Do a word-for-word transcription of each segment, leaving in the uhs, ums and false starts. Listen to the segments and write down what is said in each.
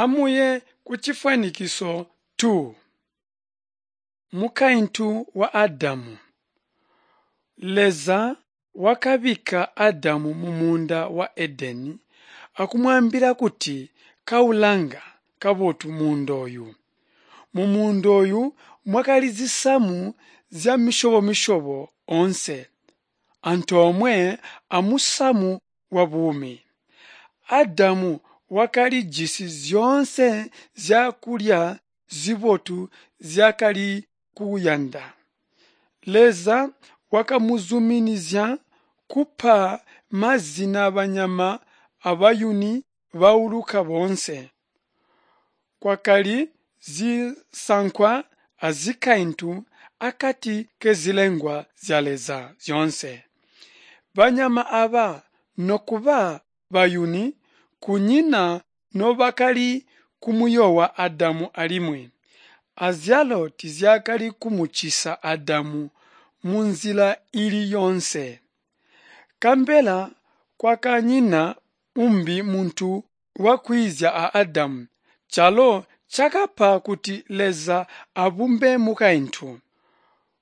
Amuye kucifwanikiso two. Mukaintu wa Adamu. Leza wakabikka Adamu mumuunda wa Edeni akumwaambila kuti kaulanga kabotu muunda ooyu. Mumuunda ooyu mwakali zisamu zyamisyobo-misyobo oonse, antoomwe amusamu wabuumi. Adamu wakalijisi zyoonse zyakulya zibotu nzyaakali kuyanda. Leza wakamuzuminizya kupa mazina banyama abayuni bauluka boonse. Kwakali zisankwa azikaintu akati kezilengwa zya Leza zyoonse. Banyama aaba nokuba bayuni kunyina nobakali kumuyoowa Adamu alimwi, azyalo tiizyakali kumucisa Adamu munzila iili yoonse. Nkabela kwakanyina umbi muntu wakwiizya a Adamu, calo cakapa kuti Leza abumbe mukaintu.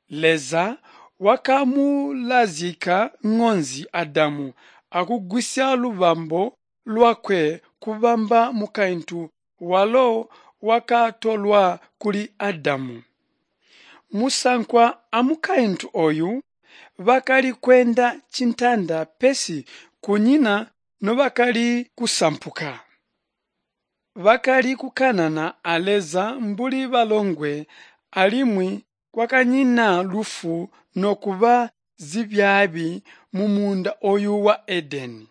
Leza wakamulazyika ŋonzi Adamu akugwisya lubambo lwakwe kubamba mukaintu walo wakatolwa kuli Adamu. Musankwa amukaintu ooyu bakali kweenda cintanda pesi kunyina nobakali kusampuka. Bakali kukanana a Leza mbuli balongwe alimwi kwakanyina lufu nokuba zibyaabi mumuunda ooyu wa Edeni.